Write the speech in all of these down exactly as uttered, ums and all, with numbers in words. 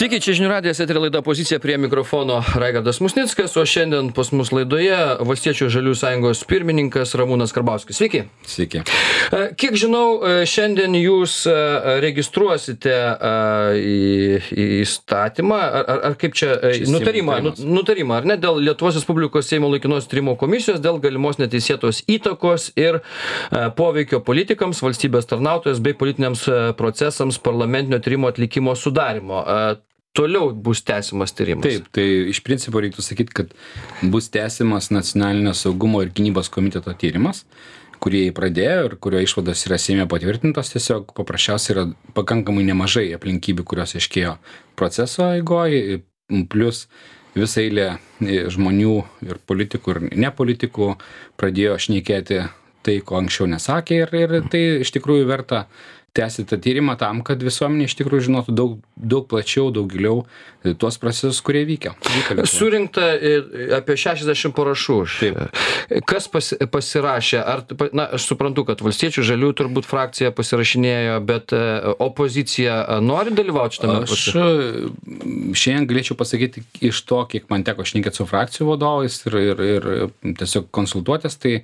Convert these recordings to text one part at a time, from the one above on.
Sveiki, čia žinių radijas, eterio laida Pozicija, prie mikrofono Raigardas Musnickas, o šiandien pas mus laidoje Valstiečių žaliųjų sąjungos pirmininkas Ramūnas Karbauskis. Sveiki. Sveiki. Kiek žinau, šiandien jūs registruosite į, į įstatymą, ar, ar kaip čia, nutarimą, nutarimą, ar ne, dėl Lietuvos Respublikos Seimo laikinos tyrimo komisijos, dėl galimos neteisėtos įtakos ir poveikio politikams, valstybės tarnautojams bei politiniams procesams parlamentinio tyrimo atlikimo sudarimo. Toliau bus tęsiamas tyrimas. Taip, tai iš principo reiktų sakyti, kad bus tęsiamas nacionalinio saugumo ir gynybos komiteto tyrimas, kurį pradėjo ir kurio išvados yra Seime patvirtintos. Tiesiog paprasčiausiai yra pakankamai nemažai aplinkybių, kurios aiškėjo proceso eigoje, plus visą eilę žmonių ir politikų ir nepolitikų pradėjo šnekėti tai, ko anksčiau nesakė, ir, ir tai iš tikrųjų verta tęsti tą tyrimą tam, kad visuomenė iš tikrųjų žinotų daug, daug plačiau, daug giliau tuos procesus, kurie vykia. Surinkta apie šešiasdešimt parašų. Taip. Kas pas, pasirašė? Ar, na, aš suprantu, kad Valstiečių žaliųjų turbūt frakcija pasirašinėjo, bet opozicija nori dalyvauti šitame procese? Aš šiandien galėčiau pasakyti iš to, kiek man teko šnekėti su frakcijų vadovais ir, ir, ir tiesiog konsultuotis, tai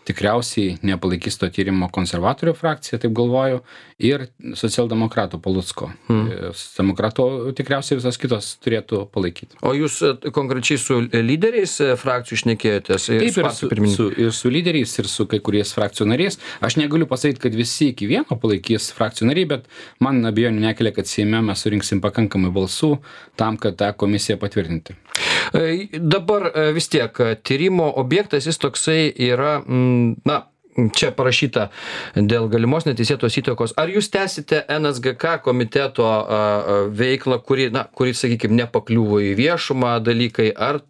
tikriausiai nepalaikys to tyrimo konservatorių frakcija, taip galvoju, ir socialdemokratų Palucko. Hmm. Socialdemokratų tikriausiai visas kitos turėtų palaikyti. O jūs konkrečiai su lyderiais frakcijų šnekėjotės? Taip, ir su, su, ir su lyderiais, ir su kai kuriais frakcijų nariais. Aš negaliu pasakyti, kad visi iki vieno palaikys frakcijų nariai, bet man abejonių nekelia, kad Seime mes surinksim pakankamai balsų tam, kad tą komisiją patvirtinti. Dabar vis tiek tyrimo objektas jis toksai yra, na, čia parašyta dėl galimos neteisėtos įtakos. Ar jūs tęsite N S G K komiteto veiklą, kuri, na, kuri, sakykime, nepakliuvo į viešumą dalykai, ar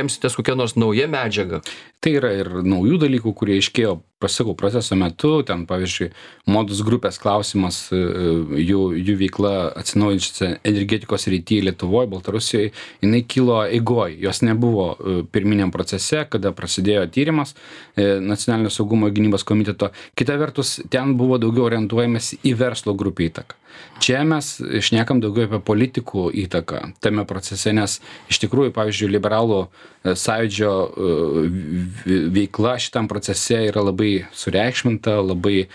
remsitės kokią nors naują medžiagą? Tai yra ir naujų dalykų, kurie iškėjo, pasakau, proceso metu, ten, pavyzdžiui, modus grupės klausimas, jų, jų veikla atsinaujinčiose energetikos srityje Lietuvoje, Baltarusijoje, jinai kilo eigoje, jos nebuvo pirminiam procese, kada prasidėjo tyrimas nacionalinio saugumo ir gynybos komiteto. Kita vertus, ten buvo daugiau orientuojamas į verslo grupę įtaką. Čia mes šnekam daugiau apie politikų įtaką tame procese, nes iš tikrųjų, pavyzdžiui, liberalų sąjūdžio veikla šitam procese yra labai sureikšminta, labai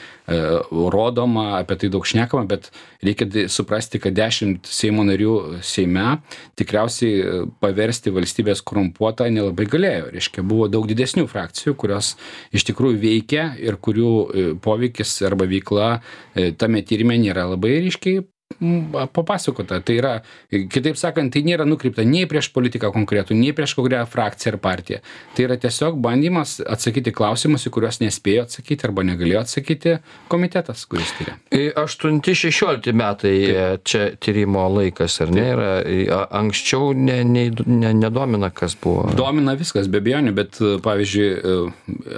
rodoma, apie tai daug šnekama, bet reikia suprasti, kad dešimt Seimo narių Seime tikriausiai paversti valstybės korumpuotą nelabai galėjo. Reiškia, buvo daug didesnių frakcijų, kurios iš tikrųjų veikia ir kurių poveikis arba veikla tame tyrime nėra labai ryškiai papasakota. Tai yra, kitaip sakant, tai nėra nukreipta nei prieš politiką konkretų, nei prieš kokią frakciją ar partiją. Tai yra tiesiog bandymas atsakyti klausimus, į kuriuos nespėjo atsakyti arba negalėjo atsakyti komitetas, kuris tyria. aštunti šešiolikti metai Taip. Čia tyrimo laikas, ar ne? Yra, anksčiau ne, ne, ne, nedomina, kas buvo? Domina viskas, be abejonių, bet pavyzdžiui,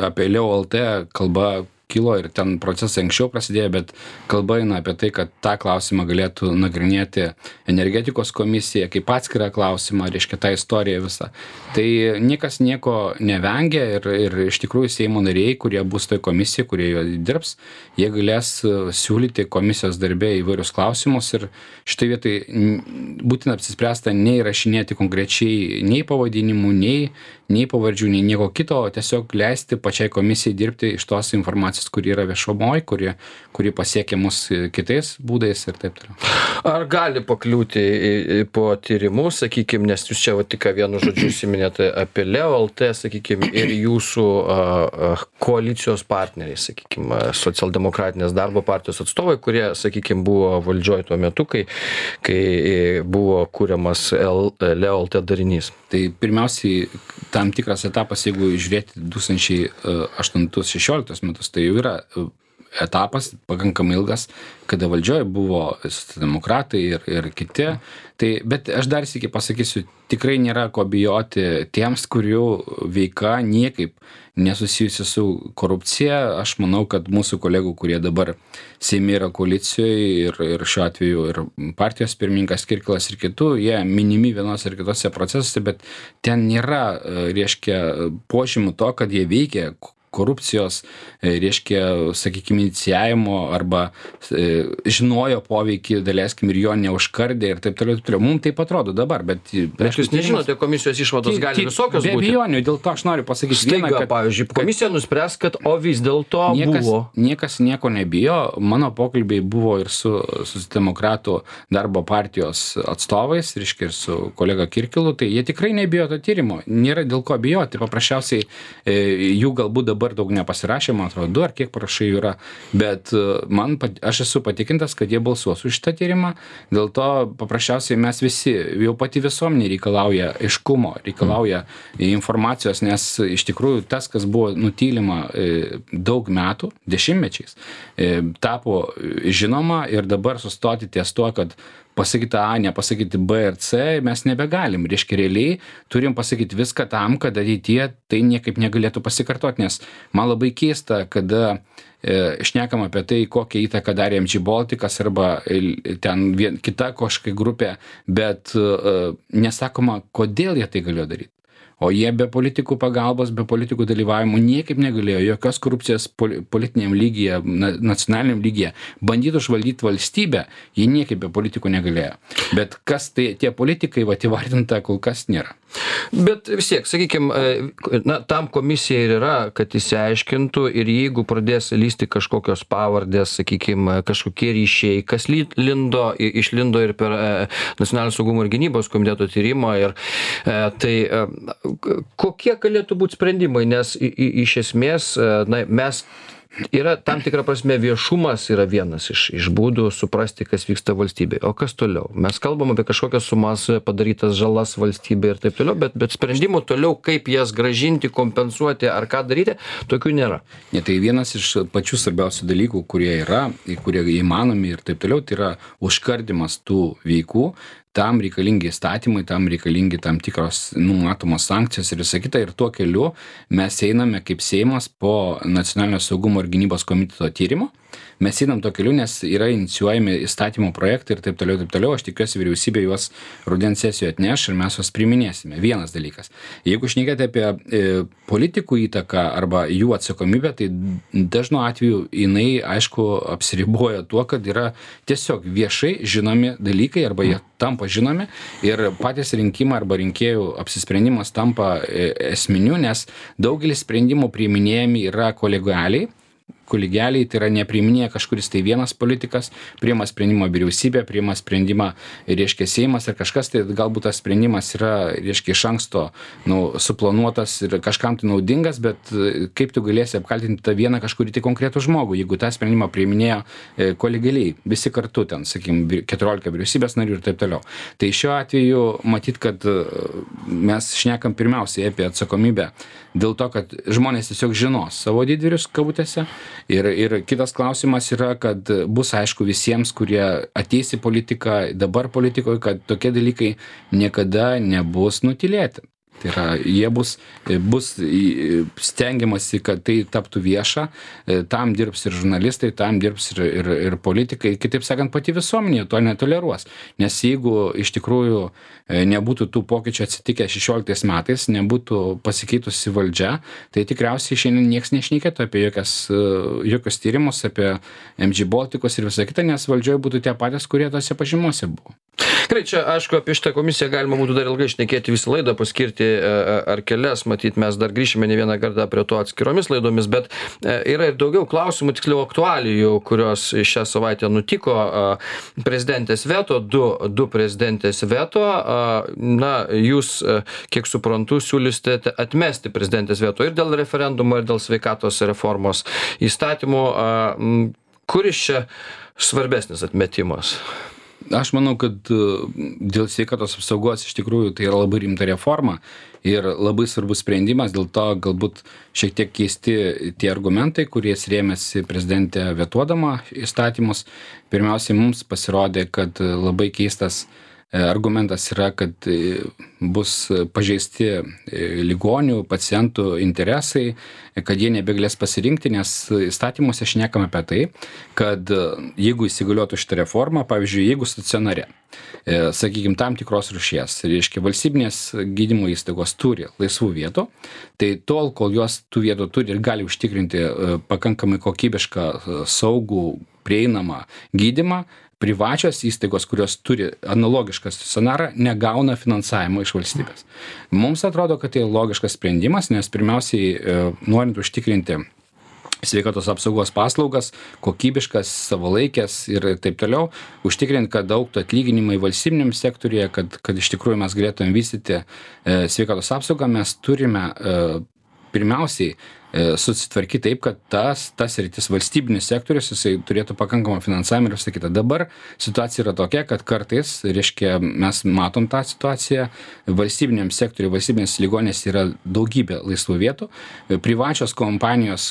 apie Leo L T kalba kilo ir ten procesai anksčiau prasidėjo, bet kalba eina apie tai, kad tą klausimą galėtų nagrinėti energetikos komisija kaip atskirą klausimą, reiškia tą istoriją visą. Tai niekas nieko nevengia ir, ir iš tikrųjų Seimo nariai, kurie bus toj komisijai, kurie jo dirbs, jie galės siūlyti komisijos darbė įvairius klausimus ir štai vietai būtina apsispręsta nei rašinėti konkrečiai nei pavadinimų, nei, nei pavardžių, nei nieko kito, o tiesiog leisti pačiai komisijai dirbti iš tos informacijos, kuri yra viešumoj, kuri, kuri pasiekia mus kitais būdais ir taip toliau. Ar gali pakliūti į, į, po tyrimų, sakykime, nes jūs čia va, tik vienu žodžiu užsiminėte apie Leo L T, sakykime, ir jūsų a, a, koalicijos partneriai, sakykime, socialdemokratinės darbo partijos atstovai, kurie, sakykime, buvo valdžioj tuo metu, kai, kai buvo kuriamas L, Leo L T darinys. Tai pirmiausiai tam tikras etapas, jeigu žiūrėti du tūkstančiai aštuntus šešioliktus metus, tai jau yra etapas pakankamai ilgas, kada valdžioje buvo demokratai ir, ir kiti. Tai, bet aš dar sykį pasakysiu, tikrai nėra ko bijoti tiems, kurių veika niekaip nesusijusi su korupcija. Aš manau, kad mūsų kolegų, kurie dabar Seime yra koalicijoje ir, ir šiuo atveju ir partijos pirmininkas Kirkilas ir kitų, jie minimi vienose ir kitose procesuose, bet ten nėra, reiškia, požymų to, kad jie veikia korupcijos, reiškia, sakykime, inicijavimo arba e, žinojo poveikį, daleiskim, ir jo neužkardė ir taip toliau, taip toliau. Mums taip atrodo dabar, bet... Bet jūs nežinote, komisijos išvados gali visokios būti. Be abejonių, dėl to aš noriu pasakyti Staiga, vieną, kad... pavyzdžiui, komisija nuspręs, kad o vis dėlto niekas, buvo. Niekas nieko nebijo. Mano pokalbiai buvo ir su, su demokratų darbo partijos atstovais, reiškia, ir su kolega Kirkilu, tai jie tikrai nebijo to tyrimo. Nėra dėl ko bijoti. Paprasčiausiai e, jų galbūt dabar daug nepasirašė, man atrodo, du ar kiek parašai yra, bet man, aš esu patikintas, kad jie balsuos už šitą tyrimą. Dėl to paprasčiausiai mes visi, jau pati visuomenė reikalauja aiškumo, reikalauja informacijos, nes iš tikrųjų tas, kas buvo nutylima daug metų, dešimtmečiais, tapo žinoma ir dabar sustoti ties tuo, kad pasakyti A, nepasakyti B ir C, mes nebegalim. Reiškia, realiai turim pasakyti viską tam, kad ateityje tai niekaip negalėtų pasikartoti, nes man labai keista, kada e, šnekam apie tai, kokią įtaką darė M G Balticas arba ten vien, kita kažkokia grupė, bet e, nesakoma, kodėl jie tai galėjo daryti. O jie be politikų pagalbos, be politikų dalyvavimo niekaip negalėjo jokios korupcijos politiniam lygyje, nacionaliniam lygyje. Bandytų užvaldyti valstybę, jie niekaip be politikų negalėjo. Bet kas tai tie politikai, va, įvardinta kol kas nėra. Bet vis tiek, sakykime, na, tam komisija ir yra, kad įsiaiškintų ir jeigu pradės lysti kažkokios pavardės, sakykime, kažkokie ryšiai, kas lindo, išlindo ir per Nacionalinio saugumo ir gynybos komiteto tyrimą, ir tai kokie galėtų būti sprendimai, nes i, i, iš esmės na, mes yra tam tikra prasme viešumas yra vienas iš, iš būdų suprasti, kas vyksta valstybėje. O kas toliau? Mes kalbam apie kažkokias sumas padarytas žalas valstybė ir taip toliau, bet, bet sprendimų toliau, kaip jas grąžinti, kompensuoti ar ką daryti, tokių nėra. Ne, tai vienas iš pačių svarbiausių dalykų, kurie yra, kurie įmanomi ir taip toliau, tai yra užkardimas tų veikų. Tam reikalingi įstatymai, tam reikalingi tam tikros numatomos sankcijos ir visą kitą. Ir tuo keliu mes einame kaip Seimas po Nacionalinio saugumo ir gynybos komiteto tyrimo. Mes einam to keliu, nes yra inicijuojami įstatymų projektai ir taip toliau, taip toliau. Aš tikiuosi, vyriausybė juos rudens sesijoje atneš ir mes juos priiminėsime. Vienas dalykas. Jeigu šnekėti apie e, politikų įtaką arba jų atsakomybę, tai dažnu atveju jinai, aišku, apsiriboja tuo, kad yra tiesiog viešai žinomi dalykai arba jie tampa žinomi ir patys rinkimai arba rinkėjų apsisprendimas tampa e, esminiu, nes daugelis sprendimų priiminėjami yra kolegialiai. Kolegialiai, tai yra nepriiminėja kažkuris tai vienas politikas, priima sprendimą vyriausybė, priima sprendimą, reiškia, Seimas ir kažkas, tai galbūt tas sprendimas yra, reiškia, iš anksto nu, suplanuotas ir kažkam tai naudingas, bet kaip tu galėsi apkaltinti tą vieną kažkurį tai konkretų žmogų, jeigu tą sprendimą priiminėjo kolegialiai, visi kartu ten, sakykime, keturiolika vyriausybės narių ir taip toliau. Tai šiuo atveju matyt, kad mes šnekam pirmiausiai apie atsakomybę dėl to, kad žmonės tiesiog žinos savo didvyrius kabutėse. Ir, ir kitas klausimas yra, kad bus aišku visiems, kurie ateis į politiką, dabar politikoje, kad tokie dalykai niekada nebus nutylėti. Tai yra, jie bus, bus stengiamasi, kad tai taptų vieša, tam dirbs ir žurnalistai, tam dirbs ir, ir, ir politikai, kitaip sakant, pati visuomenė to netoleruos. Nes jeigu iš tikrųjų nebūtų tų pokyčių atsitikę šešioliktais metais, nebūtų pasikeitusi valdžia, tai tikriausiai šiandien nieks nešnekėtų apie jokias, jokios tyrimus, apie M G Balticus ir visą kitą, nes valdžioje būtų tie patys, kurie tose pažymuose buvo. Gerai, čia aišku, apie šitą komisiją galima būtų dar ilgai šnekėti visą laidą, paskirti ar kelias, matyt, mes dar grįšime ne vieną kartą prie to atskiromis laidomis, bet yra ir daugiau klausimų, tiksliau aktualijų, kurios šią savaitę nutiko. Prezidentės veto, du, du prezidentės veto, na, jūs, kiek suprantu, siūlysite atmesti prezidentės veto ir dėl referendumo, ir dėl sveikatos reformos įstatymų. Kuris čia svarbesnis atmetimas? Aš manau, kad dėl sveikatos apsaugos iš tikrųjų tai yra labai rimta reforma ir labai svarbus sprendimas, dėl to galbūt šiek tiek keisti tie argumentai, kuriais rėmėsi prezidentė vetuodama įstatymus. Pirmiausiai mums pasirodė, kad labai keistas argumentas yra, kad bus pažeisti ligonių, pacientų interesai, kad jie nebegalės pasirinkti, nes įstatymuose šnekame apie tai, kad jeigu įsigaliotų šitą reformą, pavyzdžiui, jeigu stacionare, sakykime, tam tikros rūšies, reiškia, valstybinės gydymo įstaigos turi laisvų vietų, tai tol, kol jos tų vietų turi ir gali užtikrinti pakankamai kokybišką, saugų, prieinamą gydymą, privačios įstaigos, kurios turi analogišką stacionarą, negauna finansavimo iš valstybės. Mums atrodo, kad tai logiškas sprendimas, nes pirmiausiai, norint užtikrinti sveikatos apsaugos paslaugas, kokybiškas, savalaikės ir taip toliau, užtikrinti, kad augtų atlyginimai valstybiniam sektoriuje, kad, kad iš tikrųjų mes galėtume vystyti sveikatos apsaugą, mes turime pirmiausiai susitvarkyti taip, kad tas, tas rytis valstybinis sektorius, jisai turėtų pakankamą finansavimą ir visą kitą. Dabar situacija yra tokia, kad kartais, reiškia, mes matom tą situaciją, valstybiniam sektoriui, valstybinės ligonės yra daugybė laisvų vietų, privačios kompanijos,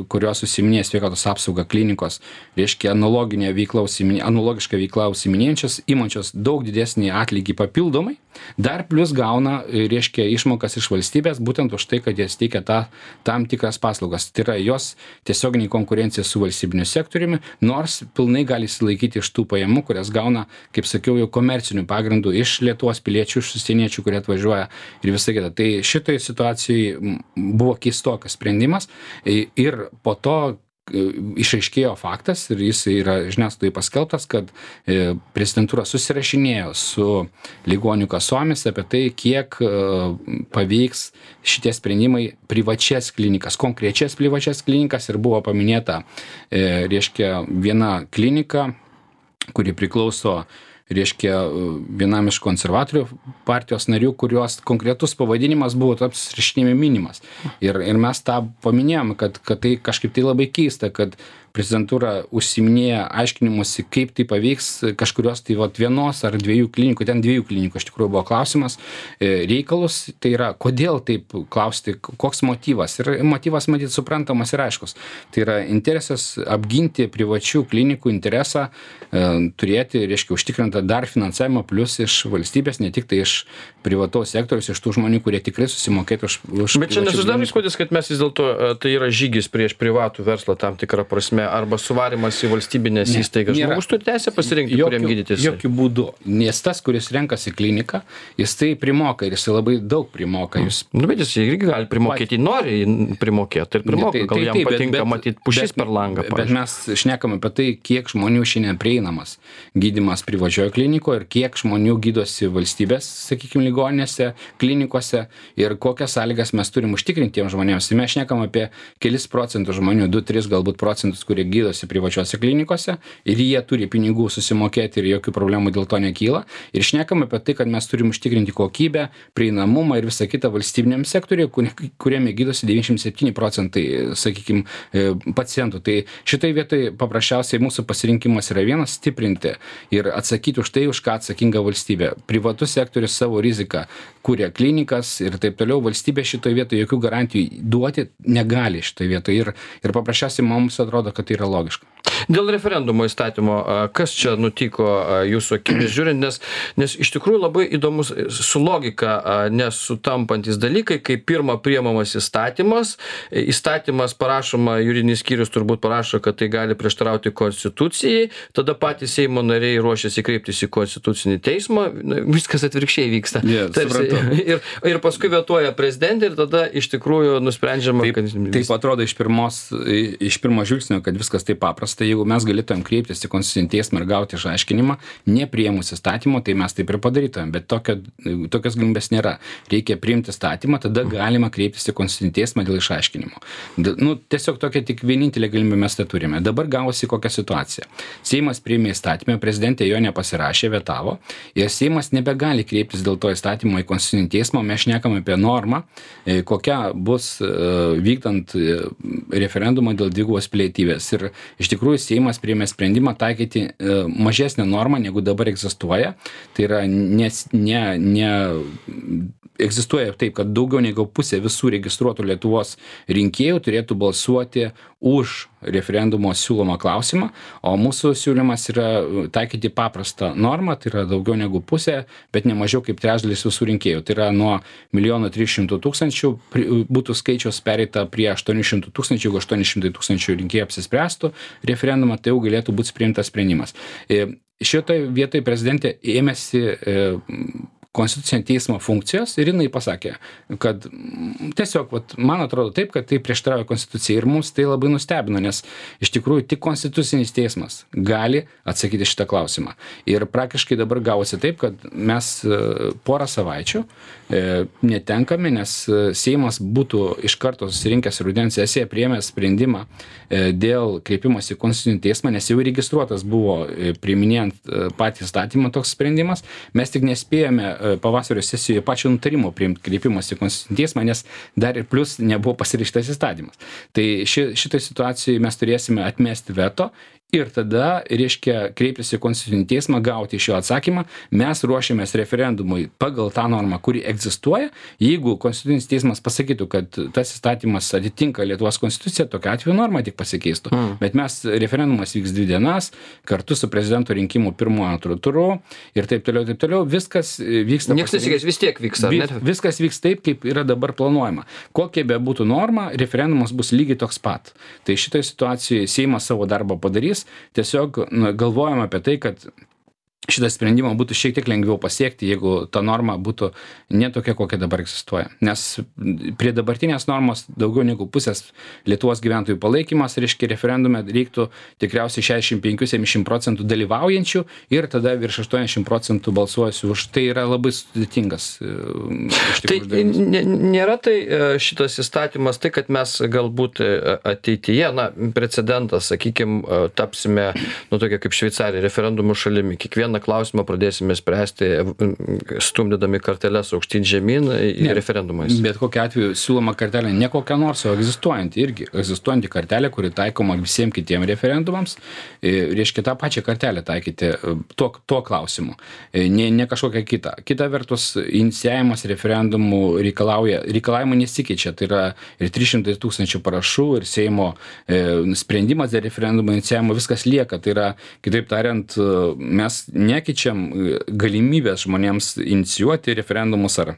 kurios užsiiminėja sveikatos apsaugą, klinikos, reiškia, analoginė veikla, analogišką veiklą užsiiminėjančios, imančios daug didesnį atlygį papildomai, dar plus gauna, reiškia, išmokas iš valstybės, būtent už tai, kad jie teikia tą tam tikras paslaugas. Tai yra jos tiesioginė konkurencija su valstybiniu sektoriumi, nors pilnai gali įsilaikyti iš tų pajamų, kurias gauna, kaip sakiau, jau komercinių pagrindų iš Lietuvos piliečių, iš užsieniečių, kurie atvažiuoja ir visą kitą. Tai šitoje situacijoje buvo keistokas sprendimas ir po to išaiškėjo faktas ir jis yra žiniasklaidai paskelbtas, kad prezidentūra susirašinėjo su ligonių kasomis apie tai, kiek paveiks šitie sprendimai privačias klinikas, konkrečias privačias klinikas ir buvo paminėta, reiškia, viena klinika, kuri priklauso reiškia vienam iš konservatorių partijos narių, kurios konkretus pavadinimas buvo taps rašinėme minimas. Ir, ir mes tą paminėjom, kad, kad tai kažkaip tai labai keista, kad prezidentūra užsiminėja aiškinimusi, kaip tai paveiks kažkurios tai vat, vienos ar dviejų klinikų, ten dviejų klinikų iš tikrųjų buvo klausimas, reikalus, tai yra, kodėl taip klausti, koks motyvas. Ir motyvas, matyt, suprantamas ir aiškus. Tai yra interesas apginti privačių klinikų interesą, turėti, reiškia, užtikrintą dar finansavimą plus iš valstybės, ne tik tai iš privataus sektoriaus, iš tų žmonių, kurie tikrai susimokėtų už, už Bet čia nesusidaro įspūdis, kad mes vis dėlto tai yra žygis prieš privatų verslą tam tikrą prasme, arba suvarimas į valstybinės ne, įstaigas. Žmogus turi teisę pasirinkti, jokių, kuriam gydytis. Jokių būdų. Nes tas, kuris renkasi kliniką, jis tai primoka ir jis labai daug primoka. Jūs... Nu, bet jis irgi gali primokėti, Pat... nori primokėti ir primoka. Ne, tai, gal tai, jam tai, patinka bet, matyti pušis bet, per langą. Bet, bet mes šnekame apie tai, kiek žmonių šiandien prieinamas gydymas privačioje klinikoje ir kiek žmonių gydosi valstybės, sakykime, ligoninėse, klinikose ir kokias sąlygas mes turim užtikrinti tiems žmonėms. Tai mes šnekam apie kelis procentus žmonių, du tris galbūt procentus, kurie gydosi privačiose klinikose ir jie turi pinigų susimokėti ir jokių problemų dėl to nekyla. Ir šnekam apie tai, kad mes turim užtikrinti kokybę, prieinamumą ir visą kitą valstybiniam sektoriui, kuriame gydosi devyniasdešimt septyni procentai, sakykime, pacientų. Tai šitai vietai paprasčiausiai mūsų pasirinkimas yra vienas - stiprinti ir atsakyti už tai, už ką atsakinga valstybė. Privatus sektorius savo riziką kuria klinikas ir taip toliau. Valstybė šitoje vietoje jokių garantijų duoti negali šitoje vietoje. Ir, ir paprasčiausiai mums atrodo, kad tai yra logiška. Dėl referendumo įstatymo, kas čia nutiko jūsų akimis žiūrint, nes, nes iš tikrųjų labai įdomus su logika nesutampantis dalykai, kai pirma priemamas įstatymas, įstatymas parašoma, juridinis skyrius turbūt parašo, kad tai gali prieštarauti konstitucijai, tada patys Seimo nariai ruošiasi kreiptis į konstitucinį teismą, viskas atvirkščiai vyksta. Yeah, Tarsi, ir, ir paskui vetuoja prezidentė ir tada iš tikrųjų nusprendžiama, taip, kad... Taip atrodo iš, pirmos, iš pirmo žvilgsnio, kad viskas taip paprasta. Jeigu mes galėtumėm kreiptis į konstitucinį teismą ir gauti išaiškinimą, nepriėmus įstatymo, tai mes taip ir padarytumėm. Bet tokio, tokios galimybės nėra. Reikia priimti įstatymą, tada galima kreiptis į konstitucinį teismą dėl išaiškinimo. Nu, tiesiog tokia tik vienintelė galimybė mes tai turime. Dabar gavosi kokia situacija. Seimas priėmė įstatymą, prezidentė jo nepasirašė, vetavo ir Seimas nebegali kreiptis dėl to įstatymo į konstitucinį teismą. Mes šnekam apie normą, kokia bus vykdant referendumą dėl dvigubos pilietybės. Ir iš tikrųjų Seimas priėmė sprendimą taikyti mažesnę normą, negu dabar egzistuoja. Tai yra, nes, ne, ne, egzistuoja taip, kad daugiau negu pusė visų registruotų Lietuvos rinkėjų turėtų balsuoti už referendumo siūlomą klausimą, o mūsų siūlymas yra taikyti paprastą normą, tai yra daugiau negu pusė, bet ne mažiau kaip trečdalis visų rinkėjų. Tai yra nuo milijono trijų šimtų tūkstančių būtų skaičiaus pereita prie aštuonių šimtų tūkstančių, jeigu aštuoni šimtai tūkstančių rinkėjų apsispręstų referendumą, tai jau galėtų būti priimtas sprendimas. Šitoje vietoje prezidentė ėmėsi Konstitucinio teismo funkcijos ir jinai pasakė, kad tiesiog, vat, man atrodo taip, kad tai prieštarauja Konstitucijai ir mums tai labai nustebino, nes iš tikrųjų tik Konstitucinis teismas gali atsakyti šitą klausimą. Ir praktiškai dabar gavosi taip, kad mes porą savaičių netenkame, nes Seimas būtų iš karto susirinkęs rudens sesiją priėmęs sprendimą dėl kreipimosi į Konstitucinį teismą, nes jau registruotas buvo priiminėjant patį įstatymą toks sprendimas. Mes tik nespėjome pavasario sesijoje pačio nutarimo priimti kreipimas į Konstitucinį teismą, nes dar ir plus nebuvo pasirašytas įstatymas. Tai ši, šitoj situacijai mes turėsime atmesti veto ir tada, reiškia, kreiptis į Konstitucinį teismą, gauti iš jo atsakymą. Mes ruošiamės referendumui pagal tą normą, kuri egzistuoja. Jeigu Konstitucinis teismas pasakytų, kad tas įstatymas atitinka Lietuvos konstituciją, tokia atveju norma tik pasikeistų. Mm. Bet mes, referendumas vyks dvi dienas, kartu su prezidento rinkimų pirmuoju antru turu ir taip toliau, taip toliau. Viskas vyksta. Niekas nesikeis, vis tiek vyks, ar ne? Viskas vyks taip, kaip yra dabar planuojama. Kokia be būtų norma, referendumas bus lygiai toks pat. Tai šitoje situacijoje Seimas savo darbą padarys. Tiesiog nu, galvojam apie tai, kad šitą sprendimą būtų šiek tiek lengviau pasiekti, jeigu ta norma būtų ne tokia, kokia dabar egzistuoja. Nes prie dabartinės normos daugiau negu pusės Lietuvos gyventojų palaikymas, reiškia, referendume reiktų tikriausiai šešiasdešimt penki septyniasdešimt procentų dalyvaujančių ir tada virš aštuoniasdešimt procentų balsuosiu už. Tai yra labai sudėtingas. Tai nėra tai šitas įstatymas, tai kad mes galbūt ateityje, na, precedentas, sakykime, tapsime, nu, tokia kaip Šveicarija, referendumų šalimi. Kiekvieną klausimą pradėsime spręsti, stumdydami karteles aukštyn žemyn į referendumais. Bet kokia atveju siūloma kartelė ne kokia nors, o egzistuojanti irgi. Egzistuojanti kartelė, kuri taikoma visiems kitiems referendumams, reiškia tą pačią kartelę taikyti tuo, tuo klausimu, ne, ne kažkokią kitą. Kita vertus, inicijavimas referendumų reikalauja, reikalavimų nesikeičia, tai yra ir trys šimtai tūkstančių parašų, ir Seimo e, sprendimas dėl referendumo inicijavimo, viskas lieka. Tai yra, kitaip tariant, mes nekeičiam galimybės žmonėms inicijuoti referendumus ar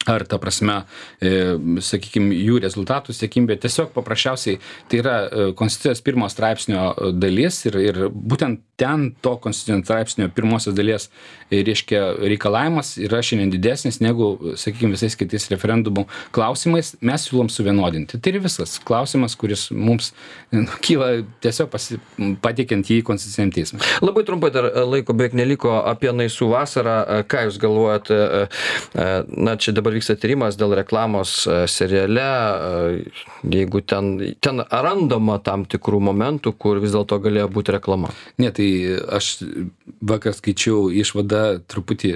ar ta prasme, e, sakykime, jų rezultatų siekimybė. Tiesiog paprasčiausiai tai yra Konstitucijos pirmo straipsnio dalis ir, ir būtent ten to Konstitucinio straipsnio pirmosios dalies, reiškia, reikalavimas yra šiandien didesnis negu, sakykime, visais kitais referendumų klausimais. Mes siūlom suvienodinti. Tai ir visas klausimas, kuris mums nu, kyla tiesiog pasi, pateikiant jį Konstituciniam teismui. Labai trumpai dar laiko beveik neliko apie Naisų vasarą. Ką jūs galvojat? Na, čia dabar vyksta tyrimas dėl reklamos seriale, jeigu ten, ten randama tam tikrų momentų, kur vis dėlto galėjo būti reklama. Ne, tai aš vakar skaičiau išvadą, truputį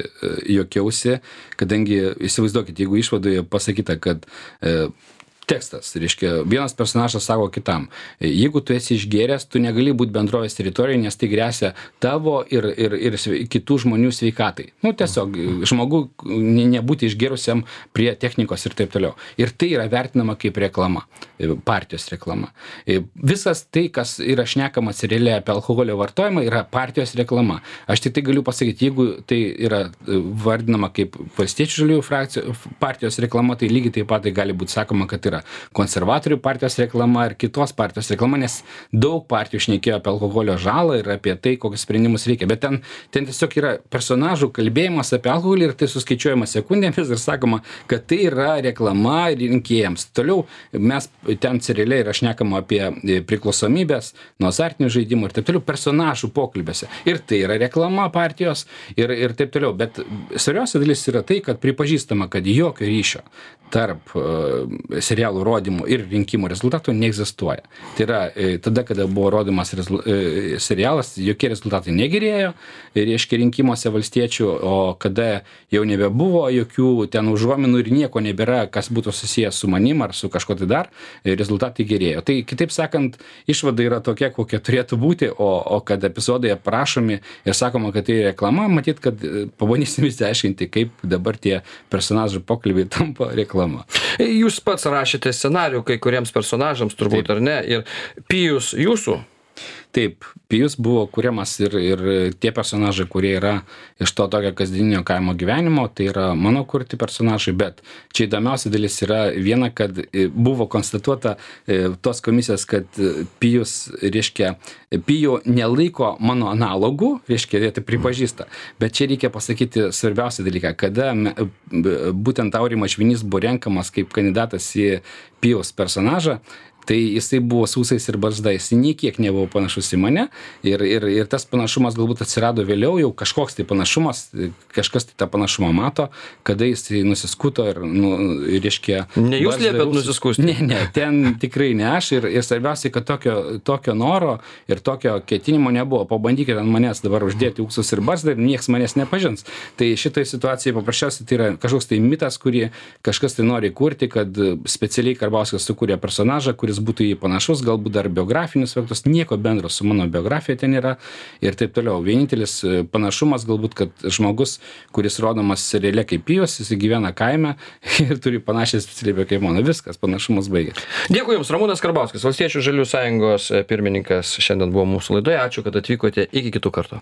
juokiausi, kadangi, įsivaizduokit, jeigu išvadoje pasakyta, kad e, tekstas, reiškia, vienas personažas sako kitam, jeigu tu esi išgėręs, tu negali būti bendrovės teritorijoje, nes tai grėsia tavo ir, ir, ir kitų žmonių sveikatai. Nu, tiesiog žmogų nebūti išgėrusiam prie technikos ir taip toliau. Ir tai yra vertinama kaip reklama, partijos reklama. Visas tai, kas yra šnekama seriale apie alkoholio vartojimą, yra partijos reklama. Aš tik tai galiu pasakyti, jeigu tai yra vardinama kaip Valstiečių žaliųjų frakcijų partijos reklama, tai lygiai taip pat tai gali būti sakoma, kad yra konservatorių partijos reklama ir kitos partijos reklama, nes daug partijų šnekėjo apie alkoholio žalą ir apie tai, kokius sprendimus reikia. Bet ten, ten tiesiog yra personažų kalbėjimas apie alkoholį ir tai suskaičiuojama sekundėmis ir sakoma, kad tai yra reklama rinkėjams. Toliau mes ten seriale yra šnekama apie priklausomybės, nuo azartinių žaidimų ir taip toliau personažų pokalbėse. Ir tai yra reklama partijos ir, ir taip toliau. Bet svarbiausia dalis yra tai, kad pripažįstama, kad jokio ryšio tarp uh, serialų rodymų ir rinkimų rezultatų neegzistuoja. Tai yra, e, tada, kada buvo rodomas rezul, e, serialas, jokie rezultatai negerėjo, reiškia rinkimuose valstiečių, o kada jau nebebuvo jokių ten užuominų ir nieko nebėra, kas būtų susijęs su manim ar su kažko tai dar, e, rezultatai gerėjo. Tai kitaip sakant, išvada yra tokia, kokia turėtų būti, o, o kad epizodai aprašomi ir sakoma, kad tai reklama, matyt, kad pabandysim išsiaiškinti, kaip dabar tie personažų pokalbiai tampa reklama. Jūs pats rašėte rašėte scenarijų kai kuriems personažams turbūt, ar ne? Ir Pijus jūsų? Taip, Pijus buvo kuriamas ir, ir tie personažai, kurie yra iš to tokio kasdieninio kaimo gyvenimo, tai yra mano kurti personažai, bet čia įdomiausia dalis yra viena, kad buvo konstatuota tos komisijos, kad Pijus, reiškia, Pijų nelaiko mano analogų, reiškia, jie tai pripažįsta, bet čia reikia pasakyti svarbiausią dalyką, kada me, būtent Aurimas Švinys buvo renkamas kaip kandidatas į Pijaus personažą, tai jisai buvo su ūsais ir barzda, jisai niekiek nebuvo panašus į mane ir, ir, ir tas panašumas galbūt atsirado vėliau, jau kažkoks tai panašumas, kažkas tai tą panašumą mato, kada jisai nusiskuto ir, nu, reiškia... Ne jūs liepėt nusiskusti? Ne, ne, ten tikrai ne aš ir, ir svarbiausiai, kad tokio, tokio noro ir tokio ketinimo nebuvo. Pabandykite ant manęs dabar uždėti ūsus ir barzdą ir nieks manęs nepažins. Tai šitai situacijai paprasčiausiai tai yra kažkoks tai mitas, kurį kažkas tai nori kurti, kad specialiai Karbauskis sukūrė personažą, kuris būtų jį panašus, galbūt dar biografinius faktus, nieko bendro su mano biografija ten yra ir taip toliau. Vienintelis panašumas galbūt, kad žmogus, kuris rodomas seriale kaip Pijus, jis gyvena kaime ir turi panašią specialybę kaip mano. Viskas, panašumas baigėsi. Dėkui Jums, Ramūnas Karbauskis, Valstiečių žaliųjų sąjungos pirmininkas, šiandien buvo mūsų laidoje. Ačiū, kad atvykote. Iki kitų kartų.